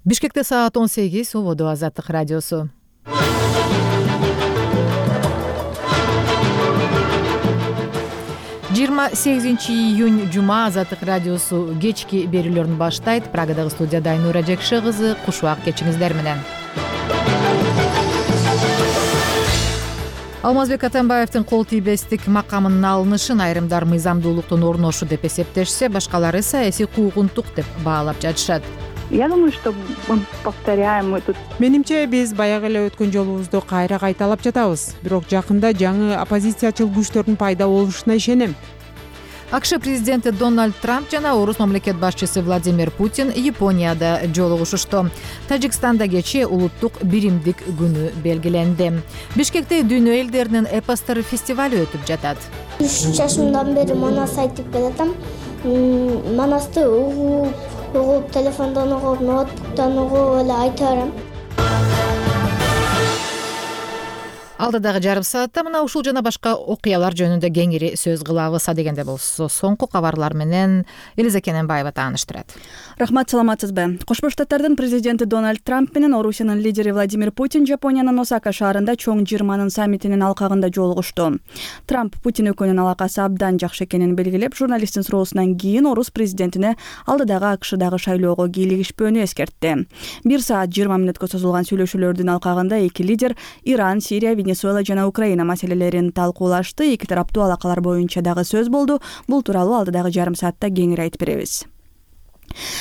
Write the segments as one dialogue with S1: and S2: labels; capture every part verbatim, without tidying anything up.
S1: Бишкекте саат он сегиз, Ободо Азаттык радиосу. жыйырма сегизинчи июнь жума, Азаттык радиосу кечки берүүлөрүн баштайт. Прагадагы студияда Айнура Жекше кызы, куш убак кечиңиздер менен. Алмазбек Атамбаевдин кол тийбестик макамынын алынышын айрымдар мыйзамдуулуктун орношу деп эсептешсе, башкалары саясий куугунтук деп баалап жатышат.
S2: Я думаю, что мы повторяем мы тут.
S3: Менимче биз баягы эле өткөн жолубузду кайра кайталап жатабыз. Бирок жакында жаңы оппозициячыл күчтөрдүн пайда болушуна ишенем.
S1: АКШ президенти Дональд Трамп жана орус мамлекет башчысы Владимир Путин Японияда жолугушушту. Тажикстанда кечээ улуттук биримдик күнү белгиленди. Бишкекте дүйнө элдеринин эпостор фестивалю өтүп жатат.
S4: үч жашымдан бери Манас айтып келатам. Манасты угуп, угуп, телефондон угуп, ноутбуктан угуп эле айта берем.
S1: Алдыдагы жарым саатта мына ушул жана башка окуялар жөнүндө кеңири сөз кылабыз. Адегенде болсо соңку кабарлар менен Элиза Кененбаева тааныштырат.
S5: Рахмат, саламатсызбы? Кошмо Штаттардын президенти Дональд Трамп менен Орусиянын лидери Владимир Путин Жапониянын Осака шаарында чоң жыйырманын саммитинин алкагында жолугушту. Трамп Путин экөөнүн алакасы абдан жакшы экенин белгилеп, журналисттин суроосунан кийин орус президентине алдыдагы АКШдагы шайлоого кийлигишпөөнү эскертти. бир саат жыйырма мүнөткө созулган сүйлөшүүлөрдүн алкагында эки лидер Иран, Сирия, Венесуэла жана Украина маселелерин талкуулашты. Эки тараптуу алакалар боюнча дагы сөз болду. Бул тууралуу алдыдагы жарым саатта кеңири айтып беребиз.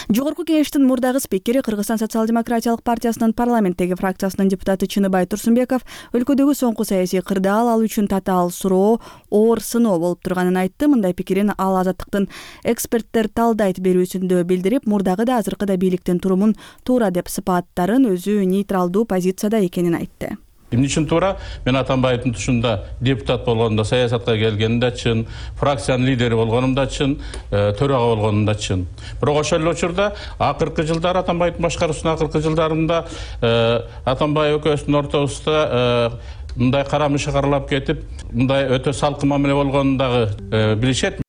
S5: Жогорку кеңештин мурдагы спикери, Кыргызстан социал-демократиялык партиясынын парламенттеги фракциясынын депутаты Чыныбай Турсунбеков өлкөдөгү соңку саясий кырдаал ал үчүн татаал суроо, оор сыноо болуп турганын айтты. Мындай пикирин ал Азаттыктын эксперттер талдайт берүүсүндө билдирип, мурдагы да азыркы да бийликтин турумун туура деп сыпаттарын, өзү нейтралдуу позицияда экенин айтты.
S6: Эмне үчүн туура? Мен Атамбаевдин тушунда депутат болгонумда, саясатка келгенимде чын, фракциянын лидери болгонумда чын, төрага болгонумда чын. Бирок ошол эле учурда акыркы жылдары Атамбаевдин башкаруусунун акыркы жылдарында Атамбаев экөөбүздүн ортобузда мындай карамышы каралап кетип, мындай өтө салкын мамиле болгонун дагы билишет.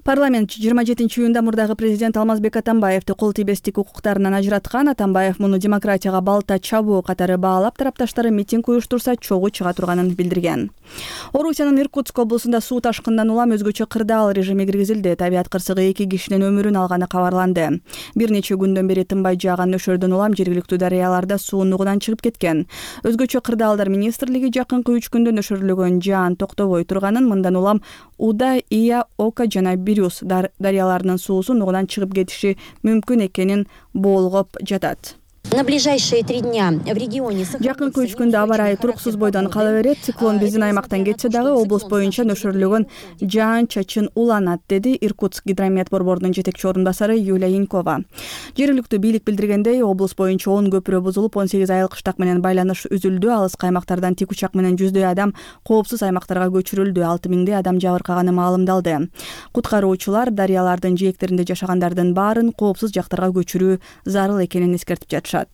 S5: Парламент жыйырма жетинчи июнда мурдагы президент Алмазбек Атамбаевди кол тийбестик укуктарынан ажыраткан. Атамбаев муну демократияга балта чабуу катары баалап, тарапташтары митинг уюштурса чогуу чыга турганын билдирген. Орусиянын Иркутск облусунда суу ташкындан улам өзгөчө кырдаал режими киргизилди. Табиат кырсыгы эки кишинин өмүрүн алганы кабарланды. Бир нече күндөн бери тынбай жааган нөшөрдөн улам жергиликтүү дарыяларда суу нугунан чыгып кеткен. Өзгөчө кырдаалдар министрлиги жакынкы үч күндө нөшөрлөгөн жаан токтобой турганын, мындан улам Уда, Ия, Ока жана Бирюс дарыяларынын суусу нугунан чыгып кетиши мүмкүн экенин болгоп жатат.
S7: На ближайшие три дня в регионе
S5: жакынкы үч күндө аба ырайы туруксуз бойдон кала берет. Циклон биздин аймактан кетсе дагы облус боюнча нөшөрлөгөн жаан чачын уланат, деди Иркутск гидромет борборунун жетекчи орун басары Юлия Янькова. Жергиликтүү бийлик билдиргендей, облус боюнча он көпүрө бузулуп, он сегиз айыл кыштак менен байланыш үзүлдү. Алыскы аймактардан тик учак менен жүздөй адам коопсуз аймактарга көчүрүлдү. алты миңдей адам жабыркаганы маалымдалды. Куткаруучулар дарыялардын жээктеринде жашагандардын баарын коопсуз жактарга көчүрүү зарыл экенин эскертип жатышат.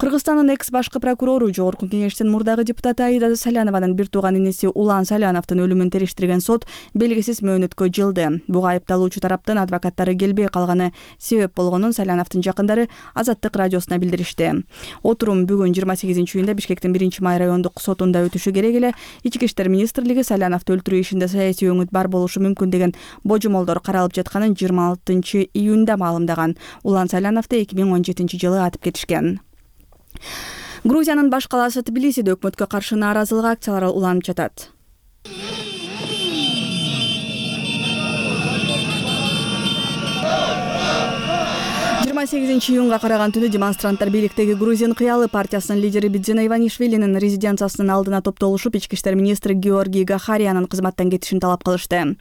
S5: Кыргызстандын экс башкы прокурору, Жогорку кеңештин мурдагы депутаты Аида Салянованын бир тууган иниси Улан Саляновдун өлүмүн териштирген сот белгисиз мөөнөткө жылды. Буга айыпталуучу тараптын адвокаттары келбей калганы себеп болгонун Саляновдун жакындары Азаттык радиосуна билдиришти. Отурум бүгүн жыйырма сегизинчи июнда Бишкектин биринчи май райондук сотунда өтүшү керек эле. Ички иштер министрлиги Саляновду өлтүрүү ишинде саясий өңүт бар болушу мүмкүн деген божомолдор каралып жатканын жыйырма алтынчы июнда маалымдаган. Улан Саляновду эки миң он жетинчи жылы атып кетишкен. Грузиянын баш калаасы Тбилисиде өкмөткө каршы нааразылык акциялары уланып жатат. жыйырма сегизинчи июнга караган түнү демонстранттар бийликтеги Грузин кыялы партиясынын лидери Бидзина Иванишвилинин резиденциясынын алдына топтолушуп, ички иштер министри Георгий Гахариянын кызматтан кетишин талап кылышты.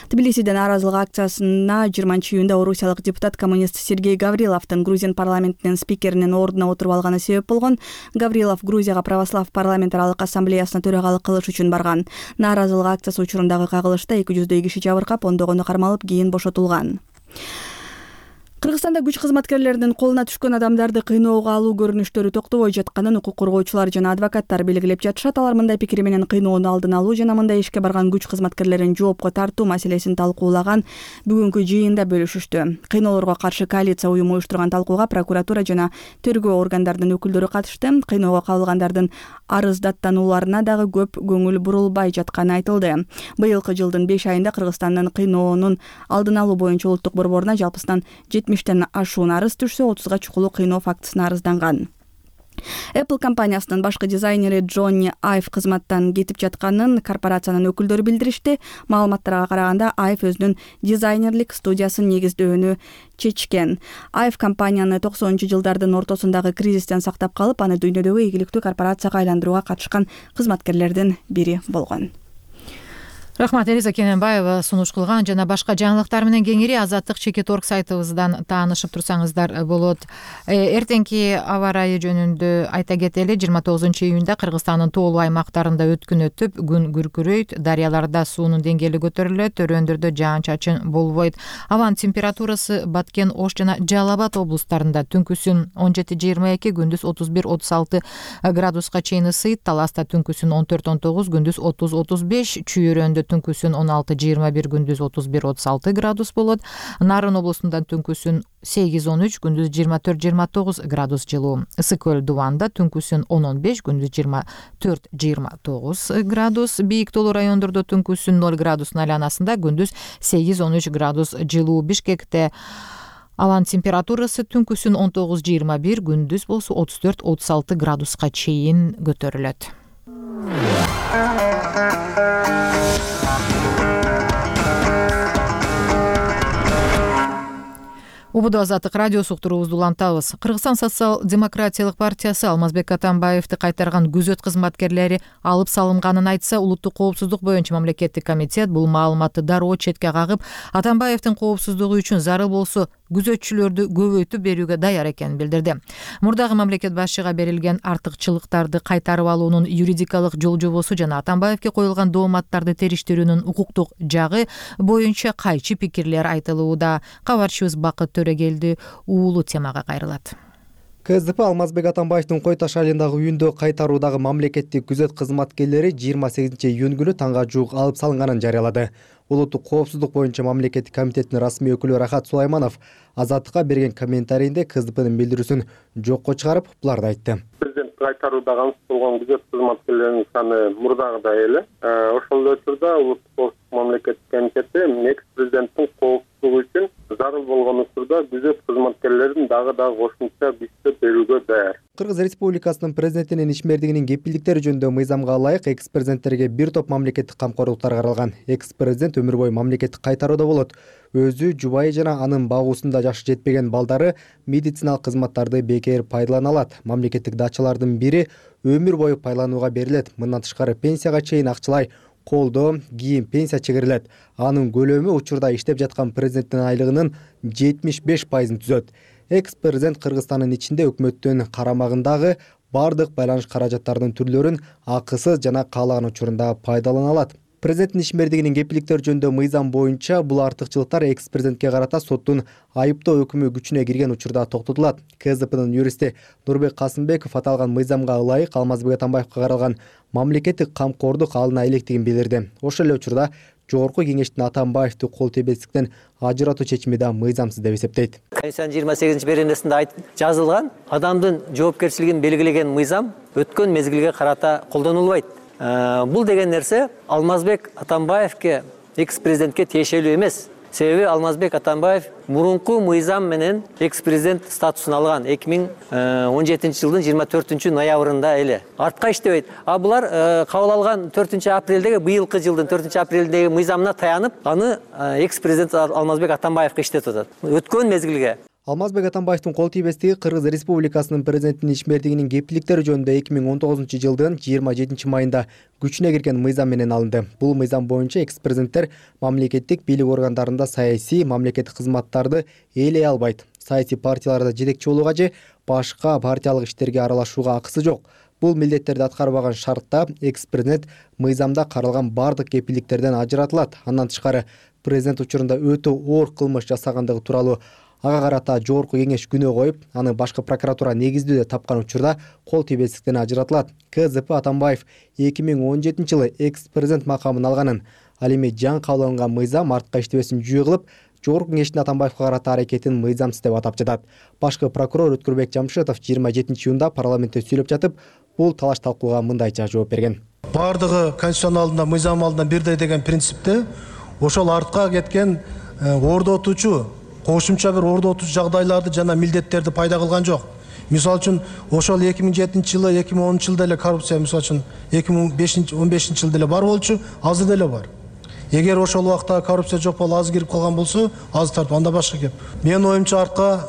S5: Тбилисиде нааразылык акциясына жыйырманчы июнда орусиялык депутат коммунист Сергей Гавриловдун Грузин парламентинин спикеринин ордуна отуруп алганы себеп болгон. Гаврилов Грузияга православ парламентаралык ассамблеясына төрагалык кылыш үчүн барган. Нааразылык акциясы учурундагы кагылышта эки жүздөй киши жабыркап, ондогону кармалып, кийин бошотулган. Кыргызстанда күч кызматкерлеринин колуна түшкөн адамдарды кыйноого алуу көрүнүштөрү токтобой жатканын укук коргоочулар жана адвокаттар белгилеп жатышат. Алар мындай пикири менен кыйноону алдын алуу жана мындай ишке барган күч кызматкерлерин жоопко тартуу маселесин талкуулаган бүгүнкү жыйында бөлүшүштү. Кыйноолорго каршы коалиция уюму уюштурган талкууга прокуратура жана тергөө органдарынын өкүлдөрү катышты. Кыйноого кабылгандардын арыз даттанууларына дагы көп көңүл бурулбай жатканы айтылды. Быйылкы жылдын беш айында Кыргызстандын кыйноонун алдын алуу боюнча улуттук борборуна жалпысынан жетимиштен ашуун арыз түшсө, отузга чукулу кыйноо фактысына арызданган. Apple компаниясынын башкы дизайнери Джонни Айв кызматтан кетип жатканын корпорациянын өкүлдөрү билдиришти. Маалыматтарга караганда Айв өзүнүн дизайнерлик студиясын негиздөөнү чечкен. Айв компанияны токсонунчу жылдардын ортосундагы кризистен сактап калып, аны дүйнөдөгү ийгиликтүү корпорацияга айландырууга катышкан кызматкерлердин бири болгон.
S1: Рахмат, Элиза Кененбаева сунуш кылган. Жана башка жаңылыктар менен кеңири Азаттык чекит точка орг сайтыбыздан таанышып турсаңыздар болот. Эртеңки аба ырайы жөнүндө айта кетели. жыйырма тогузунчу июнда Кыргызстандын тоолуу аймактарында өткүн өтүп, күн күркүрөйт, дарыяларда суунун деңгээли көтөрүлөт, төрөндөрдө жаан-чачын болбойт. Абанын температурасы Баткен, Ош жана Жалал Абад облустарында түнкүсүн он жети жыйырма эки, күндүз отуз бир отуз алты градуска чейин ысыйт. Таласта түнкүсүн он төрт он тогуз, күндүз отуз отуз беш, Чүйөрөндө түнкүсүн он алты жыйырма бир, күндүз отуз бир отуз алты градус болот. Нарын облусунда түнкүсүн сегиз он үч, күндүз жыйырма төрт жыйырма тогуз градус жылуу. Ысык көл Дубанда түнкүсүн он он беш, күндүз жыйырма төрт жыйырма тогуз градус. Бийик тоолуу райондордо түнкүсүн ноль градустун айланасында, күндүз сегиз он үч градус жылуу. Бишкекте абанын температурасы түнкүсүн он тогуз жыйырма бир, күндүз болсо отуз төрт отуз алты градуска чейин көтөрүлөт. Убуду Азаттык радиосу уктуруубузду улантабыз. Кыргызстан социал-демократиялык партиясы Алмазбек Атамбаевди кайтарган күзөт кызматкерлери алып салынганын айтса, улуттук коопсуздук боюнча мамлекеттик комитет бул маалыматты дароо четке кагып, Атамбаевдин коопсуздугу үчүн зарыл болсо күзөтчүлөрдү көбөйтүп берүүгө даяр экенин билдирди. Мурдагы мамлекет башчыга берилген артыкчылыктарды кайтарып алуунун юридикалык жол жобосу жана Атамбаевге коюлган дооматтарды териштирүүнүн укуктук жагы боюнча кайчы пикирлер айтылууда. Кабарчыбыз Бакыт Төрөгелди уулу темага кайрылат.
S8: КСДП Алмазбек Атамбаевдин Кой Таш айылындагы үйүндө кайтаруудагы мамлекеттик күзөт кызматкерлери жыйырма сегизинчи июнь күнү таңга жуук алып салынганын жарыялады. Улуттук коопсуздук боюнча мамлекеттик комитеттин расмий өкүлү Рахат Сулайманов Азаттыкка берген комментарийинде КСДПнын билдирүүсүн жокко чыгарып, буларды айтты.
S9: Президент кайтарууда калыс болгон күзөт кызматкерлеринин саны мурдагыдай эле. Ошол учурда улуттук коопсуздук мамлекеттик комитети экс президенттин коопсуздугу үчүн зарыл болгон учурда күзөт кызматкерлерин дагы да кошумча күчтөп берүүгө даяр.
S8: Кыргыз Республикасынын президентинин ишмердигинин кепилдиктери жөнүндө мыйзамга ылайык экс президенттерге бир топ мамлекеттик камкорлуктар каралган. Экс президент өмүр бою мамлекеттик кайтарууда болот. Өзү, жубайы жана анын багуусунда жашы жетпеген балдары медициналык кызматтарды бекер пайдалана алат. Мамлекеттик дачалардын бири өмүр бою пайдаланууга берилет. Мындан тышкары пенсияга чейин акчалай колдоо, кийим, пенсия чегирилет. Анын көлөмү учурда иштеп жаткан президенттин айлыгынын жетимиш беш пайызын түзөт. Экс президент Кыргызстандын ичинде өкмөттүн карамагындагы бардык байланыш каражаттарынын түрлөрүн акысыз жана каалаган учурунда пайдалана алат. Президенттин ишмердигинин кепилдиктери жөнүндө мыйзам боюнча бул артыкчылыктар экс президентке карата соттун айыптоо өкүмү күчүнө кирген учурда токтотулат. КСДПнын юристи Нурбек Касымбеков аталган мыйзамга ылайык Алмазбек Атамбаевга каралган мамлекеттик камкордук алына электигин билдирди. Ошол эле учурда Жогорку кеңештин Атамбаевди кол тебестиктен ажыратуу чечими да мыйзамсыз деп эсептейт.
S10: Конституциянын жыйырма сегизинчи беренесинде жазылган адамдын жоопкерчилигин белгилеген мыйзам өткөн мезгилге карата колдонулбайт. Бул деген нерсе Алмазбек Атамбаевге экс президентке тиешелүү эмес. Себеби Алмазбек Атамбаев мурунку мыйзам менен экс президент статусун алган эки миң он жетинчи жылдын жыйырма төртүнчү ноябрында эле. Артка иштебейт. А булар кабыл алган төртүнчү апрелдеги быйылкы жылдын төртүнчү апрелдеги мыйзамына таянып, аны экс президент Алмазбек Атамбаевге иштетип атат. Өткөн мезгилге.
S8: Алмазбек Атамбаевдин кол тийбестиги Кыргыз Республикасынын президентинин ишмердигинин кепилдиктери жөнүндө эки миң он тогузунчу жылдын жыйырма жетинчи майында күчүнө кирген мыйзам менен алынды. Бул мыйзам боюнча экс президенттер мамлекеттик бийлик органдарында саясий, мамлекеттик кызматтарды ээлей албайт. Саясий партияларда жетекчи болууга же башка партиялык иштерге аралашууга акысы жок. Бул милдеттерди аткарбаган шартта экс президент мыйзамда каралган бардык кепилдиктерден ажыратылат. Андан тышкары президент учурунда өтө оор кылмыш жасагандыгы тууралуу ага карата жогорку кеңеш күнөө коюп, аны башкы прокуратура негиздүү деп тапкан учурда кол тийбестиктен ажыратылат. ка зэ пэ Атамбаев эки миң он жетинчи жылы экс президент макамын алганын, ал эми жаңы кабыл алынган мыйзам артка иштебесин жүйө кылып, жогорку кеңештин Атамбаевга карата аракетин мыйзамсыз деп атап жатат. Башкы прокурор Өткүрбек Жамшитов жыйырма жетинчи июнда парламентте сүйлөп жатып, бул талаш талкууга мындайча жооп берген.
S11: Бардыгы конституциянын алдында, мыйзам алдында бирдей деген принципте ошол артка кеткен ордотуучу, кошумча бир ордотуучу жагдайларды жана милдеттерди пайда кылган жок. Мисалы үчүн ошол эки миң жетинчи жылы, эки миң онунчу жылда эле коррупция, мисалы үчүн эки миң он бешинчи жылда эле бар болчу, азыр деле бар. Эгер ошол убакта коррупция жок болуп аз кирип калган болсо, аз тартып, анда башка кеп. Менин оюмча артка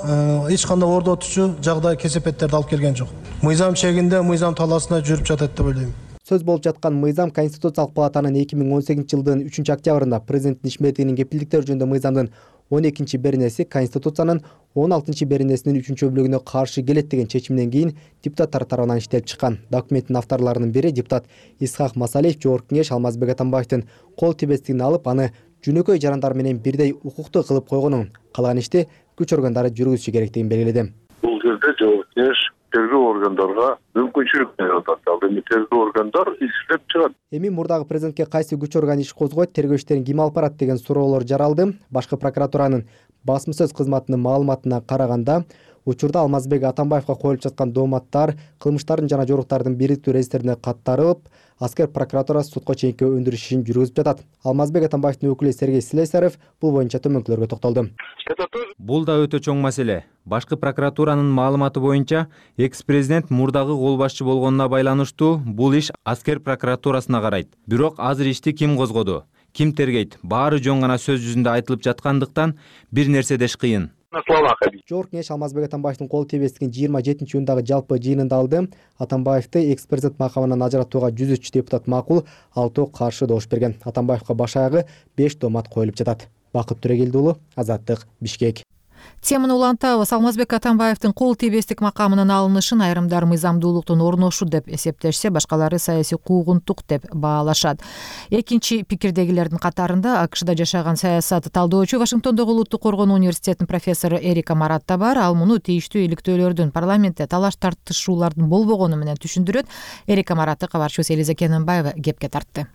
S11: эч кандай ордотуучу жагдай, кесепеттерди алып келген жок. Мыйзам чегинде, мыйзам талаасында жүрүп жатат деп ойлойм.
S8: Сөз болуп жаткан мыйзам Конституциялык палатанын эки миң он сегизинчи жылдын үчүнчү октябрында президенттин ишмердигинин кепилдиктери жөнүндө мыйзамдын он экинчи беренеси Конституциянын он алтынчы беренесинин үчүнчү бөлүгүнө каршы келет деген чечимден кийин депутаттар тарабынан иштелип чыккан. Документтин авторлорунун бири депутат Исхак Масалиев жогорку кеңеш Алмазбек Атамбаевдин кол тийбестигин алып, аны жөнөкөй жарандар менен бирдей укуктуу кылып койгонун, калган ишти күч органдары жүргүзүшү керектигин белгиледи.
S12: Бул жерде жогорку кеңеш тергөө органдарга мүмкүнчүлүк берип атат. Ал эми тергөө органдар иштеп чыгат.
S8: Эми мурдагы президентке кайсы күч орган иш козгойт, тергөө иштерин ким алып барат деген суроолор жаралды. Башкы прокуратуранын басма сөз кызматынын маалыматына караганда, учурда Алмазбек Атамбаевга коюлуп жаткан дооматтар кылмыштардын жана жоруктардын бириктүү реестрине каттарылып, аскер прокуратурасы сотко чейинки өндүрүш ишин жүргүзүп жатат. Алмазбек Атамбаевдин өкүлү Сергей Слесарев бул боюнча төмөнкүлөргө токтолду.
S13: Бул да өтө чоң маселе. Башкы прокуратуранын маалыматы боюнча, экс-президент мурдагы кол башчы болгонуна байланыштуу бул иш аскер прокуратурасына карайт. Бирок азыр ишти ким козгоду, ким тергейт, баары жөн гана сөз жүзүндө айтылып жаткандыктан бир нерсе деш кыйын.
S8: Жогорку кеңеш Алмазбек Атамбаевдин кол тийбестигин жыйырма жетинчи июндагы жалпы жыйынында алды. Атамбаевди экс-президент макамынан ажыратууга жүз үч депутат макул, алтоо каршы добуш берген. Атамбаевга баш аягы беш доомат коюлуп жатат. Бакыт Төрегелди уулу, Азаттык, Бишкек.
S1: Теманы улантабыз. Алмазбек Атамбаевдин кол тийбестик макамынын алынышын айрымдар мыйзамдуулуктун орношу деп эсептешсе, башкалары саясий куугунтук деп баалашат. Экинчи пикирдегилердин катарында АКШда жашаган саясат талдоочу Вашингтондогу Улуттук коргонуу университетинин профессору Эрика Марат да бар. Ал муну тийиштүү иликтөөлөрдүн парламентте талаш тартышуулардын болбогону менен түшүндүрөт. Эрика Маратты кабарчыбыз Элиза Кененбаева кепке тартты.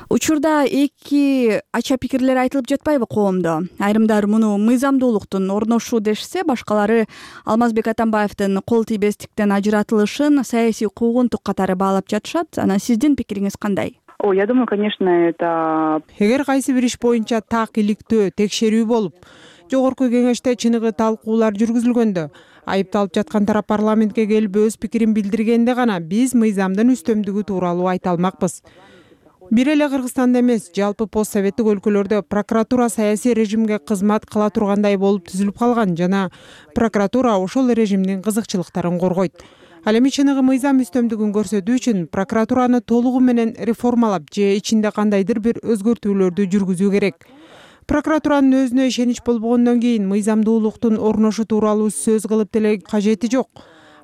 S5: Учурда эки ача пикирлер айтылып жатпайбы коомдо? Айрымдар муну мыйзамдуулуктун орношу дешсе, башкалары Алмазбек Атамбаевдин кол тийбестиктен ажыратылышын саясий куугунтук катары баалап жатышат. Анан сиздин пикириңиз кандай?
S2: О, я думаю, конечно, это...
S3: Эгер кайсы бир иш боюнча так иликтөө, текшерүү болуп, жогорку кеңеште чыныгы талкуулар жүргүзүлгөндө, айыпталып жаткан тарап парламентке келип өз пикирин билдиргенде гана биз мыйзамдын үстөмдүгү тууралуу айта алмакпыз. Бир эле Кыргызстанда эмес, жалпы постсоветтик өлкөлөрдө прокуратура саясий режимге кызмат кыла тургандай болуп түзүлүп калган жана прокуратура ошол режимдин кызыкчылыктарын коргойт. Ал эми чыныгы мыйзам үстөмдүгүн көрсөтүү үчүн прокуратураны толугу менен реформалап же ичинде кандайдыр бир өзгөртүүлөрдү жүргүзүү керек. Прокуратуранын өзүнө ишенич болбогондон кийин мыйзамдуулуктун орношу тууралуу сөз кылып деле кажети жок.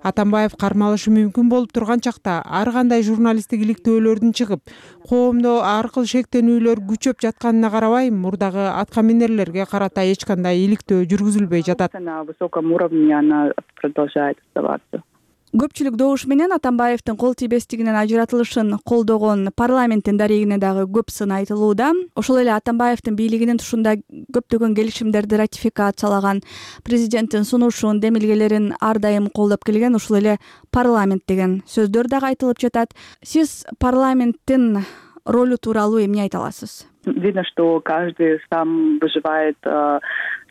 S3: Атамбаев кармалышы мүмкүн болуп турган чакта ар кандай журналисттик иликтөөлөрдүн чыгып, коомдо ар кыл шектенүүлөр күчөп жатканына карабай, мурдагы аткаминерлерге карата эч кандай иликтөө жүргүзүлбөй жатат.
S2: На высоком уровне она продолжает оставаться.
S5: Көпчүлүк добуш менен Атамбаевдин кол тийбестигинен ажыратылышын колдогон парламенттин дарегине дагы көп сын айтылууда. Ошол эле Атамбаевдин бийлигинин тушунда көптөгөн келишимдерди ратификациялаган, президенттин сунушун, демилгелерин ар дайым колдоп келген ошол эле парламент деген сөздөр дагы айтылып жатат. Сиз парламенттин ролу тууралуу эмне айта аласыз?
S2: Видно, что каждый сам выживает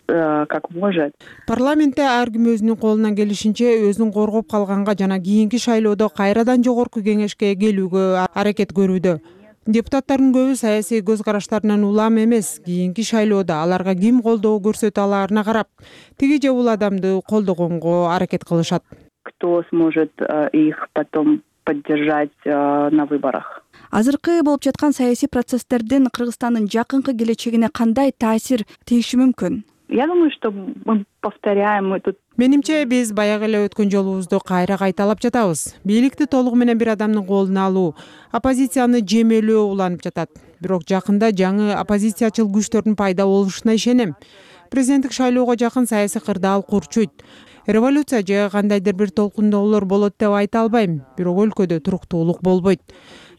S2: как может.
S3: Парламентте ар ким өзүнүн колунан келишинче өзүн коргоп калганга жана кийинки шайлоодо кайрадан жогорку кеңешке келүүгө аракет көрүүдө. Депутаттардын көбү саясий көз караштарынан улам эмес, кийинки шайлоодо аларга ким колдоо көрсөтө алаарына карап, тиги же бул адамды колдогонго аракет кылышат.
S2: Кто сможет их потом поддержать на выборах?
S5: Азыркы болуп жаткан саясий процесстердин Кыргызстандын жакынкы келечегине кандай таасир тийиши мүмкүн?
S2: Я думаю, что мы повторяем, мы тут...
S3: Менимче биз баягы эле өткөн жолубузду кайра кайталап жатабыз. Бийликти толугу менен бир адамдын колуна алуу, оппозицияны жемелөө уланып жатат. Бирок жакында жаңы оппозициячыл күчтөрдүн пайда болушуна ишенем. президенттик шайлоого жакын саясий кырдаал курчуйт. Революция же кандайдыр бир толкундоолор болот деп айта албайм, бирок өлкөдө туруктуулук болбойт.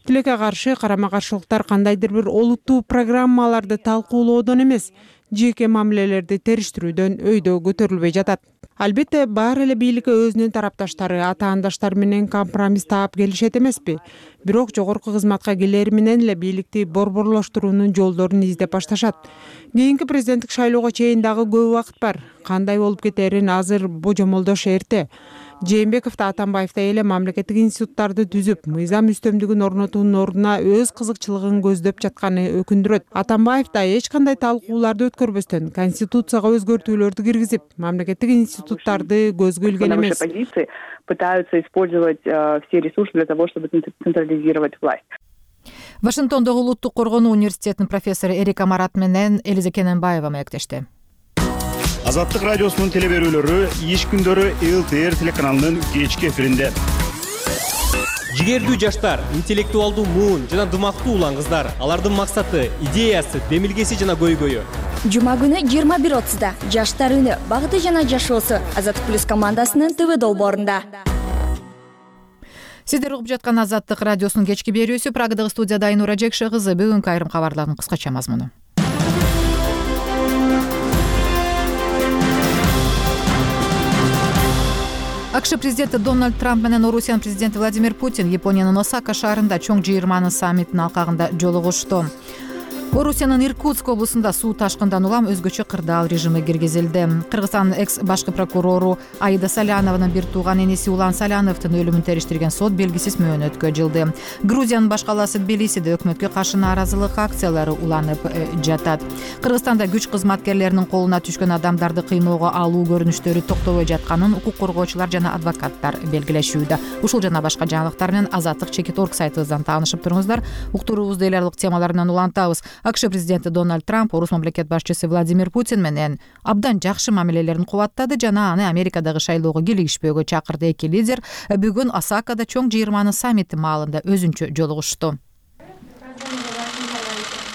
S3: Тилекке каршы карама-каршылыктар кандайдыр бир олуттуу программаларды талкуулоодон эмес, жеке мамилелерди териштирүүдөн өйдө көтөрүлбөй жатат. Албетте, баары эле бийликке өзүнүн тарапташтары, атаандаштары менен компромисс таап келишет эмеспи. Бирок жогорку кызматка келери менен эле бийликти борборлоштуруунун жолдорун издеп башташат. Кийинки президенттик шайлоого чейин дагы көп убакыт бар. Кандай болуп кетерин азыр божомолдош эрте. Жээнбеков да Атамбаев да эле мамлекеттик институттарды түзүп, мыйзам үстөмдүгүн орнотуунун ордуна өз кызыкчылыгын көздөп жатканы өкүндүрөт. Атамбаев да эч кандай талкууларды өткөрбөстөн конституцияга өзгөртүүлөрдү киргизип, мамлекеттик институттарды көзгө илген эмес.
S2: Пытаются использовать все ресурсы для того, чтобы централизировать власть.
S1: Вашингтондогу Улуттук коргонуу университетинин профессору Эрика Марат менен Элиза Кененбаева маектешти.
S14: Азаттык радиосунун телеберүүлөрү иш күндөрү эл тэ эр телеканалынын кечки эфиринде.
S15: Жигердүү жаштар, интеллектуалдуу муун жана дымактуу улан кыздар, алардын максаты, идеясы, демилгеси жана көйгөйү.
S16: Жума күнү жыйырма бир отузда жаштар үнү, багыты жана жашоосу Азаттык плюс командасынын ТВ долбоорунда.
S1: Сиздер угуп жаткан Азаттык радиосунун кечки берүүсү. Прагадагы студияда Айнура Жекше кызы. Бүгүнкү айрым кабарлардын кыскача мазмуну. АКШ президенти Дональд Трамп менен Орусиянын президенти Владимир Путин Япониянын Осака шаарында чоң жыйырманын саммитинин алкагында жолугушту. Орусиянын Иркутск облусунда суу ташкындан улам өзгөчө кырдаал режими киргизилди. Кыргызстандын экс башкы прокурору Аида Салянованын бир тууган эниси Улан Саляновдун өлүмүн териштирген сот белгисиз мөөнөткө жылды. Грузиянын баш калаасы Тбилисиде өкмөткө каршы нааразылык акциялары уланып жатат. Кыргызстанда күч кызматкерлеринин колуна түшкөн адамдарды кыйноого алуу көрүнүштөрү токтобой жатканын укук коргоочулар жана адвокаттар белгилешүүдө. Ушул жана башка жаңылыктар менен Азаттык чекит орг сайтыбыздан таанышып туруңуздар. Уктуруубузду эл аралык темалар менен улантабыз. АКШ президенти Дональд Трамп Орус мамлекет башчысы Владимир Путин менен абдан жакшы мамилелерин кубаттады жана аны Америкадагы шайлоого килигишпөөгө чакырды. Эки лидер бүгүн Осакада чоң жыйырманын саммити маалында өзүнчө жолугушту.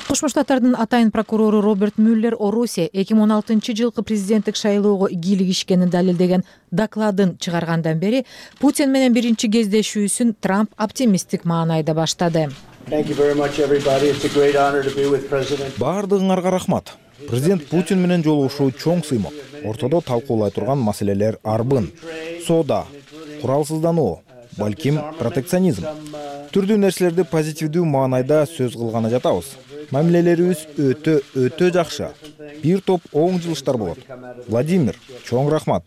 S1: Кошмо Штаттардын атайын прокурору Роберт Мюллер Орусия эки миң он алтынчы жылкы президенттик шайлоого кийлигишкенин далилдеген докладын чыгаргандан бери Путин менен биринчи кездешүүсүн Трамп оптимисттик маанайда баштады.
S17: Баардыгыңарга рахмат. Президент Путин менен жолугушуу чоң сыймок. Ортодо талкуулай турган маселелер арбын. Соода, куралсыздануу, балким протекционизм. Түрдүү нерселерди позитивдүү маанайда сөз кылганы жатабыз. Мамилелерибиз өтө өтө жакшы. Бир топ оң жылыштар болот. Владимир, чоң рахмат.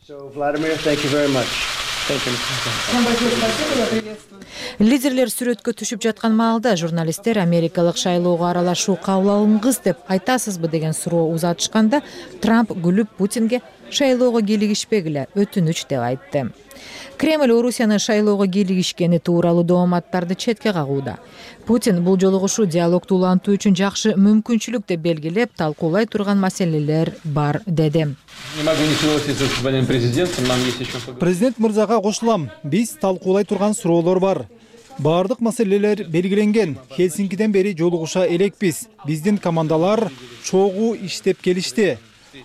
S1: Лидерлер сүрөткө түшүп жаткан маалда журналисттер Америкалык шайлоого аралашуу кабыл алынгыс деп айтасызбы деген суроо узатышканда Трамп күлүп Путинге шайлоого кийлигишпегиле, өтүнүч деп айтты. Кремль Орусиянын шайлоого кийлигишкени тууралуу дооматтарды четке кагууда. Путин бул жолугушуу диалогду улантуу үчүн жакшы мүмкүнчүлүк деп белгилеп, талкуулай турган маселелер бар деди.
S18: Президент мырзага кошулам. Биз талкуулай турган суроолор бар. Баардык маселелер белгиленген. Хелсинкиден бери жолугуша элекпиз. Биздин командалар чогуу иштеп келишти.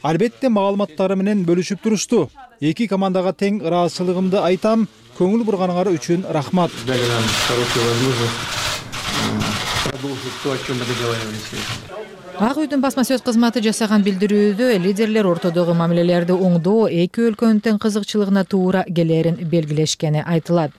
S18: Албетте маалыматтары менен бөлүшүп турушту. Эки командага тең ыраазычылыгымды айтам. Көңүл бурганыңар үчүн рахмат.
S1: Ак үйдүн басма сөз кызматы жасаган билдирүүдө лидерлер ортодогу мамилелерди оңдоо эки өлкөнүн тең кызыкчылыгына туура келерин белгилешкени айтылат.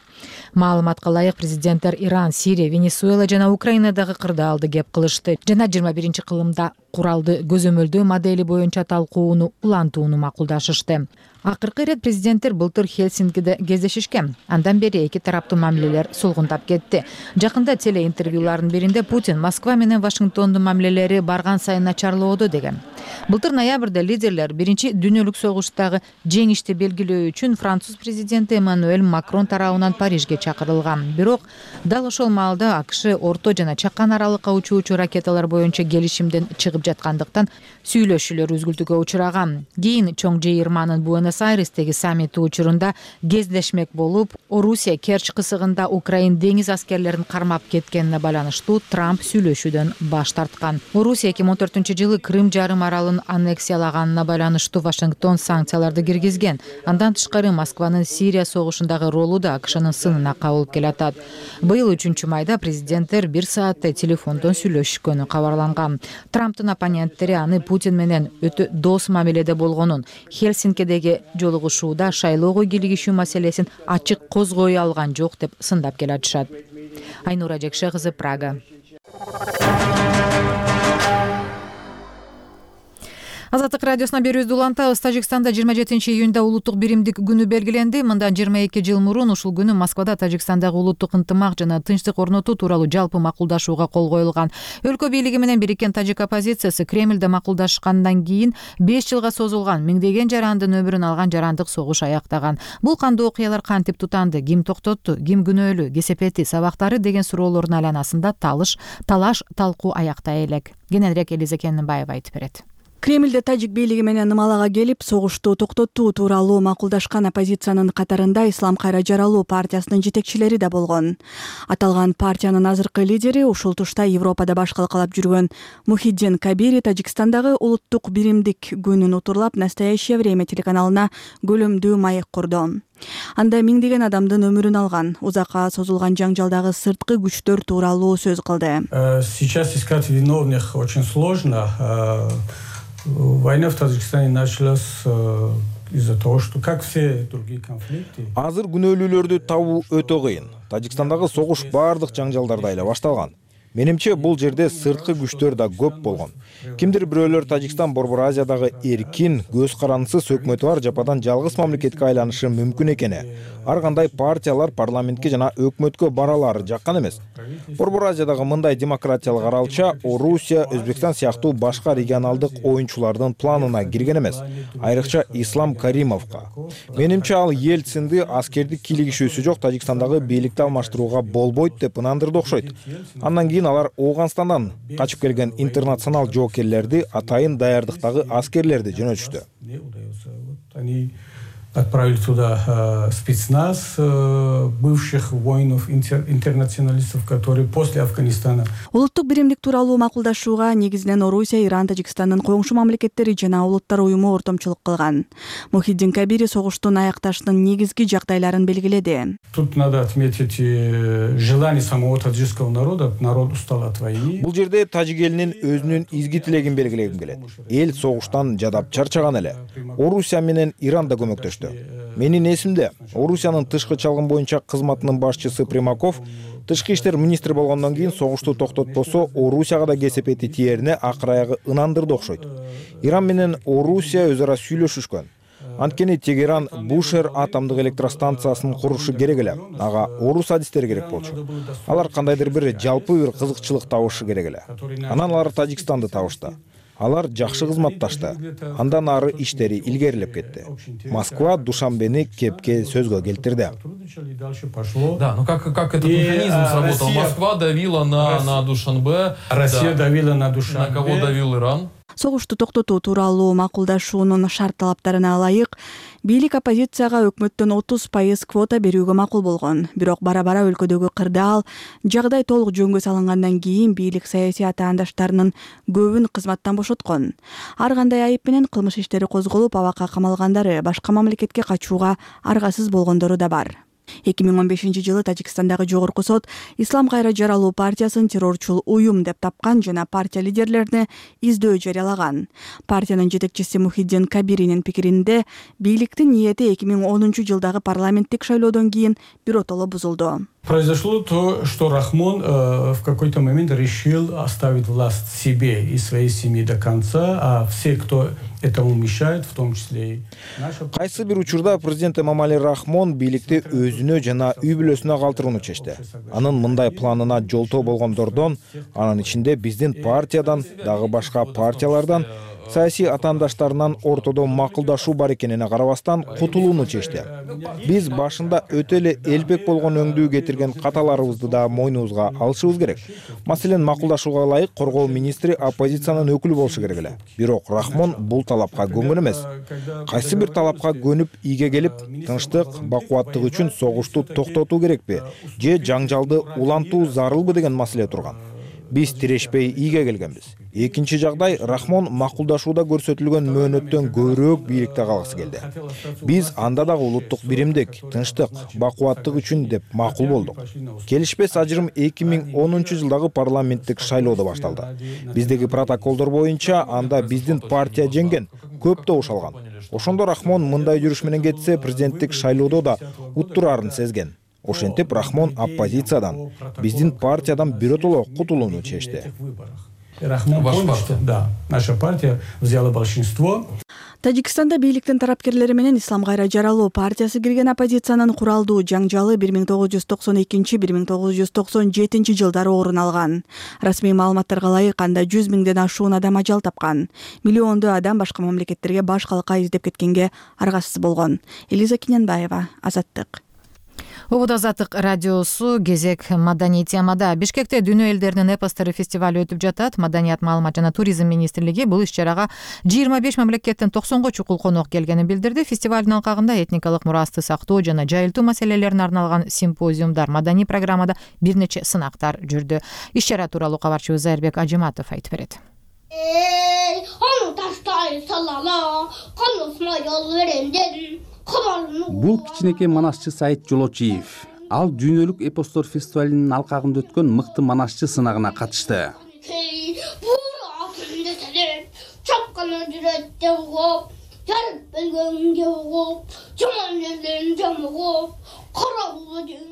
S1: Маалыматка ылайык президенттер Иран, Сирия, Венесуэла жана Украинадагы кырдаалды кеп кылышты жана жыйырма биринчи кылымда куралды көзөмөлдөө модели боюнча талкууну улантууну макулдашышты. Акыркы ирет президенттер былтыр Хелсинкиде кездешишкен. Андан бери эки тараптуу мамилелер сулгундап кетти. Жакында телеинтервьюлардын биринде Путин Москва менен Вашингтондун мамилелери барган сайын начарлоодо деген. Былтыр ноябрда лидерлер биринчи дүйнөлүк согуштагы жеңишти белгилөө үчүн француз президенти Эммануэль Макрон тарабынан Парижге чакырылган. Бирок дал ошол маалда АКШ орто жана чакан аралыкка учуучу ракеталар боюнча келишимден чыгып жаткандыктан сүйлөшүүлөр үзгүлтүүгө учураган. Кийин чоң жыйырманын Буэнос-Айрестеги саммити учурунда кездешмек болуп, Орусия Керчь кысыгында Украин деңиз аскерлерин кармап кеткенине байланыштуу Трамп сүйлөшүүдөн баш тарткан. Орусия эки миң он төртүнчү жылы Крым жарым аралын аннексиялаганына байланыштуу Вашингтон санкцияларды киргизген. Андан тышкары Москванын Сирия согушундагы ролу да АКШнын сынына кабылып келатат. Быйыл үчүнчү майда президенттер бир сааттай телефондон сүйлөшкөнү кабарланган. Трамптын оппоненттери аны Путин менен өтө дос мамиледе болгонун, Хельсинкидеги жолугушууда шайлоого киргизүү маселесин ачык козгой алган жок деп сындап келатышат. Айнура Жекше кызы, Прага. Азаттык радиосуна берүүбүздү улантабыз. Тажикстанда жыйырма жетинчи июнда улуттук биримдик күнү белгиленди. Мындан жыйырма эки жыл мурун ушул күнү Москвада Тажикстандагы улуттук ынтымак жана тынчтык орнотуу тууралуу жалпы макулдашууга кол коюлган. Өлкө бийлиги менен бириккен тажик оппозициясы Кремльде макулдашкандан кийин беш жылга созулган миңдеген жарандын өмүрүн алган жарандык согуш аяктаган. Бул кандуу окуялар кантип тутанды, ким токтотту, ким күнөөлүү, кесепети, сабактары деген суроолордун айланасында талыш, талаш, талкуу аякта элек. Кененирээк Элиза Кенненбаева айтып берет.
S5: Кремльде тажик бийлиги менен ымалага келип, согушту токтотуу тууралуу макулдашкан оппозициянын катарында Ислам кайра жаралуу партиясынын жетекчилери да болгон. Аталган партиянын азыркы лидери ушул тушта Европада баш калкалап жүргөн Мухиддин Кабири Тажикстандагы улуттук биримдик күнүн утурлап «Настоящее время» телеканалына көлөмдүү маек курду. Анда миңдеген адамдын өмүрүн алган, узакка созулган жаңжалдагы сырткы күчтөр тууралуу сөз кылды.
S19: Сейчас искать виновных очень сложно. Война в Таджикистане началась из-за того, что, как все другие конфликты.
S17: Азыр күнөөлүүлөрдү табуу өтө кыйын. Тажикстандагы согуш баардык жаңжалдарда эле башталган. Менимче бул жерде сырткы күчтөр да көп болгон. Кимдир бирөөлөр Тажикстан Борбор Азиядагы эркин, көз карандысыз өкмөтү бар жападан жалгыз мамлекетке айланышы мүмкүн экени, ар кандай партиялар парламентке жана өкмөткө баралары жаккан эмес. Борбор Азиядагы мындай демократиялык аралча Орусия, Өзбекстан сыяктуу башка регионалдык оюнчулардын планына кирген эмес, айрыкча Ислам Каримовго. Менимче ал Ельцинди аскердик кийлигишүүсү жок Тажикстандагы бийликти алмаштырууга болбойт деп ынандырды окшойт. Андан кийин алар Ооганстандан качып келген интернационал жоокерлерди, атайын даярдыктагы аскерлерди жөнөтүштү.
S19: Они отправили туда спецназ бывших воинов, интернационалистов, которые после Афганистана.
S5: Улуттук биримдик тууралуу макулдашууга негизинен Орусия, Иран, Тажикстандын коңшу мамлекеттери жана улуттар уюму ортомчулук кылган. Мухиддин Кабири согуштун аякташынын негизги жагдайларын белгиледи.
S19: Тут надо отметить желание самого таджикского народа. Народ устал от войны.
S17: Бул жерде тажик элинин өзүнүн изги тилегин белгилегим келет. Эл согуштан жадап чарчаган эле. Орусия менен Иран да көмөктөштү. Менин эсимде, Орусиянын тышкы чалгын боюнча кызматынын башчысы Примаков тышкы иштер министри болгондон кийин согушту токтотпосо Орусияга да кесепети тиерине акыр аягы ынандырды окшойт. Иран менен Орусия өз ара сүйлөшүшкөн. Анткени Тегеран Бушер атомдук электростанциясын курушу керек эле. Ага орус адистери керек болчу. Алар кандайдыр бир жалпы бир кызыкчылык табышы керек эле. Анан алар Тажикстанды табышты. Алар жакшы кызматташты. Андан ары иштери илгерилеп кетти. Москва Душанбени кепке сөзгө келтирди.
S20: Да, ну как как этот механизм сработал? Москва давила на на Душанбе,
S19: Россия давила на Душанбе.
S20: На кого давил Иран?
S5: Согушту токтотуу тууралуу макулдашуунун шарт талаптарына ылайык бийлик оппозицияга өкмөттөн отуз пайыз квота берүүгө макул болгон. Бирок бара-бара өлкөдөгү кырдаал жагдай толук жөнгө салынгандан кийин бийлик саясий атаандаштарынын көбүн кызматтан бошоткон. Ар кандай айып менен кылмыш иштери козголуп, абакка камалгандары, башка мамлекетке качууга аргасыз болгондору да бар. эки миң он бешинчи жылы Тажикстандагы жогорку сот Ислам кайра жаралуу партиясын террорчул уюм деп тапкан жана партия лидерлерине издөө жарыялаган. Партиянын жетекчиси Мухиддин Кабиринин пикиринде бийликтин ниети эки миң онунчу жылдагы парламенттик шайлоодон кийин биротоло бузулду.
S19: Произошло то, что Рахмон э, в какой-то момент решил оставить власть себе и своей семье до конца, а все, кто этому мешает, в том числе и наша...
S17: Кайсы бир учурда президент Эмомали Рахмон бийликти өзүнө жана үй бүлөсүнө калтырууну чечти. Анын мындай планына жолтоо болгондордон, анын ичинде биздин партиядан, дагы башка партиялардан саясий атаандаштарынан ортодо макулдашуу бар экенине карабастан кутулууну чечти. Биз башында өтө эле элбек болгон өңдүү кетирген каталарыбызды да мойнубузга алышыбыз керек. Маселен, макулдашууга ылайык коргоо министри оппозициянын өкүлү болушу керек эле. Бирок Рахмон бул талапка көнгөн эмес. Кайсы бир талапка көнүп ийге келип, тынчтык, бакубаттык үчүн согушту токтотуу керекпи же жаңжалды улантуу зарылбы деген маселе турган. Биз тирешпей ийге келгенбиз. Экинчи жагдай, Рахмон макулдашууда көрсөтүлгөн мөөнөттөн көбүрөөк бийликте калгысы келди. Биз анда дагы улуттук биримдик, тынчтык, бакубаттык үчүн деп макул болдук. Келишпес ажырым эки миң онунчу жылдагы парламенттик шайлоодо башталды. Биздеги протоколдор боюнча анда биздин партия жеңген, көп добуш алган. Ошондо Рахмон мындай жүрүш менен кетсе, президенттик шайлоодо да уттурарын сезген. Ошентип Рахмон оппозициядан, биздин партиядан биротоло кутулууну чечти.
S19: Рахмон понял, что да, наша партия взяла большинство.
S5: Тажикстанда бийликтин тарапкерлери менен Ислам кайра жаралуу партиясы кирген оппозициянын куралдуу жаңжалы бир миң тогуз жүз токсон экинчи — бир миң тогуз жүз токсон жетинчи жылдары орун алган. Расмий маалыматтарга ылайык, анда жүз миңден ашуун адам ажал тапкан. Миллиондоо адам башка мамлекеттерге баш калка издеп кеткенге аргасыз болгон. Элиза Кинянбаева, Азаттык.
S1: Убуд Азаттык радиосу, кезек маданий темада. Бишкекте дүйнө элдеринин эпостори фестивали өтүп жатат. Маданият, маалымат жана туризм министрлиги бул иш-чарага жыйырма беш мамлекеттен токсонго чукул конок келгенин билдирди. Фестивалдын алкагында этникалык мурасты сактоо жана жайылтуу маселелерине арналган симпозиумдар, маданий программада бир нече сынактар жүрдү. Иш-чара тууралуу кабарчыбыз Айрбек Ажыматов айтып берет.
S21: Бул кичинекей манасчы Саид Жолочиев. Ал дүйнөлүк эпостор фестивалынын алкагында өткөн мыкты манасчы сынагына катышты.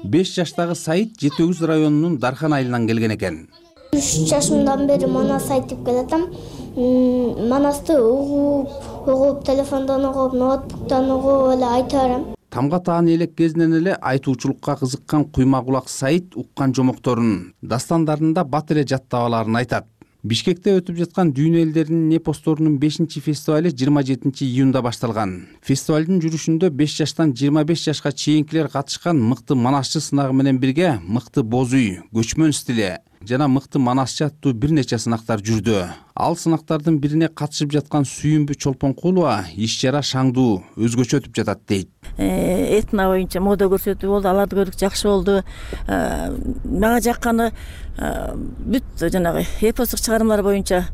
S21: беш жаштагы Саид жети өгүз районунун Дархан айылынан келген экен.
S4: үч жашымдан бери манас айтып келатам. Манасты угуп, угуп, телефондон угуп, ноутбуктан угуп эле айта берем.
S21: Тамга таан элек кезинен эле айтуучулукка кызыккан куйма кулак Саид уккан жомокторун, дастандарында бат эле жаттап аларын айтат. Бишкекте өтүп жаткан дүйнө элдеринин эпосторунун бешинчи фестивали жыйырма жетинчи июнда башталган. Фестивалдын жүрүшүндө беш жаштан жыйырма беш жашка чейинкилер катышкан. Мыкты манасчы сынагы менен бирге мыкты боз үй, көчмөн стили жана мыкты манасчы аттуу бир нече сынактар жүрдү. Ал сынактардын бирине катышып жаткан Сүйүмбү Чолпонкулова иш-чара шаңдуу, өзгөчө өтүп жатат дейт.
S22: Этно боюнча мода көрсөтүү болду, аларды көрдүк, жакшы болду. Мага жакканы бүт жанагы эпостук чыгармалар боюнча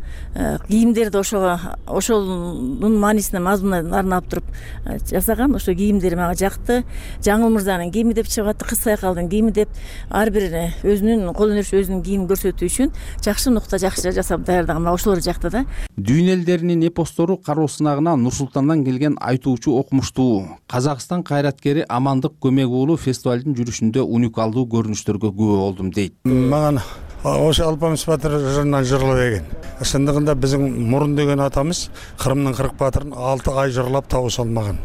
S22: кийимдерди ошого, ошонун маанисине, мазмунуна арнап туруп жасаган. Ошо кийимдер мага жакты. Жаңыл мырзанын кийими деп чыгып атты, Кыз Сайкалдын кийими деп, ар бирине өзүнүн кол өнөрү, өзүнүн кийимин көрсөтүү үчүн жакшы нукта, жакшы жасап даярдаган. Мага ошолор жакты да.
S21: Дүйнө элдеринин эпостору кароо сынагына Нур Султандан келген айтуучу окумуштуу Казакстан кайраткери Амандык Көмек уулу фестивалдын жүрүшүндө уникалдуу көрүнүштөргө күбө болдум дейт.
S23: Мага ошо Алпамыс батыр жырынан жырлап экен. Ошондогунда биздин Мурун деген атамыз Кырымдын кырк батырын алты ай жырлап табыша алмаган.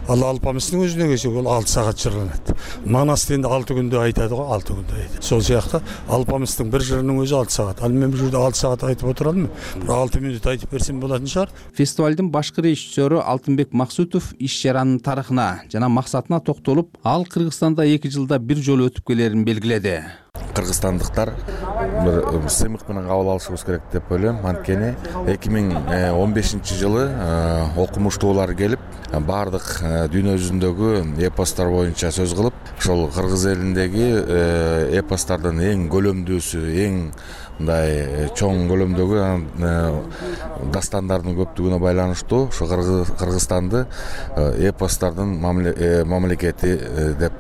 S23: Ал Алпамыстын өзүнө келсек, ол алты саат жырланат. Манас дегенде алты күндө айтады го, алты күндө айтат. Сол сыяктуу Алпамыстын бир жырынын өзү алты саат. Ал мен бул жерде алты саат айтып отура алмайм. Бир алты мүнөт айтып берсем болатын шаар.
S21: Фестивалдын башкы режиссеру Алтынбек Максутов иш-чаранын тарыхына жана максатына токтолуп, ал Кыргызстанда эки жылда бир жолу өтүп келерин белгиледи.
S24: Кыргызстандыктар бир сыймык менен кабыл алышыбыз керек деп ойлойм. Анткени эки миң он бешинчи жылы окумуштуулар келип, баардык дүйнө жүзүндөгү эпостор боюнча сөз кылып, ошол кыргыз элиндеги эпостардын эң көлөмдүүсү, эң мындай чоң көлөмдөгү дастандардын көптүгүнө байланыштуу ошо Кыргызстанды эпостардын мамлекети деп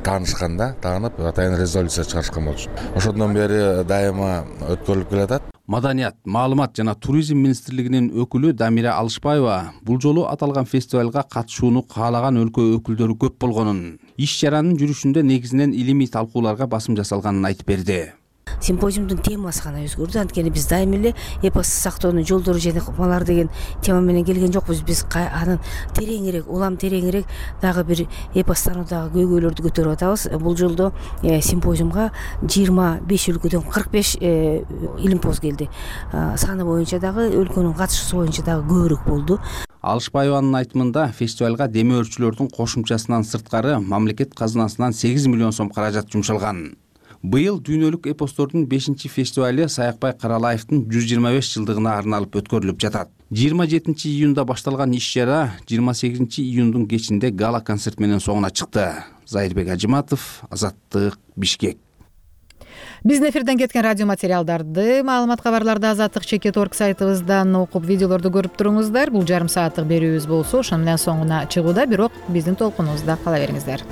S24: таанышканда, таанып, атайын резолюция чыгарышкан болчу. Ошондон бери дайыма өткөрүлүп келатат.
S21: Маданият, маалымат жана туризм министрлигинин өкүлү Дамира Алышбаева бул жолу аталган фестивалга катышууну каалаган өлкө өкүлдөрү көп болгонун, иш-чаранын жүрүшүндө негизинен илимий талкууларга басым жасалганын айтып берди.
S6: симпозиумдун темасы гана өзгөрдү. Анткени биз дайыма эле эпосты сактоонун жолдору жана ыкмалар деген тема менен келген жокпуз. Биз анын тереңирээк, улам тереңирээк дагы бир эпостануудагы көйгөйлөрдү көтөрүп атабыз. Бул жолдо симпозиумга жыйырма беш өлкөдөн кырк беш илимпоз келди. Саны боюнча дагы өлкөнүн катышуусу боюнча дагы көбүрөөк болду.
S21: Алышбаеванын айтымында фестивалга демөөрчүлөрдүн кошумчасынан сырткары мамлекет казынасынан сегиз миллион сом каражат жумшалган. Быйыл дүйнөлүк эпостордун бешинчи фестивалы Саякбай Каралаевдин жүз жыйырма беш жылдыгына арналып өткөрүлүп жатат. жыйырма жетинчи июнда башталган иш-чара жыйырма сегизинчи июндун кечинде гала концерт менен соңуна чыкты. Зайырбек Ажыматов, Азаттык, Бишкек.
S1: Биздин эфирден кеткен радио материалдарды, маалымат кабарларды Азаттык чекит точка орг сайтыбыздан окуп, видеолорду көрүп туруңуздар. Бул жарым сааттык берүүбүз болсо, ошону менен соңуна чыгууда, бирок биздин толкунубузда кала бериңиздер.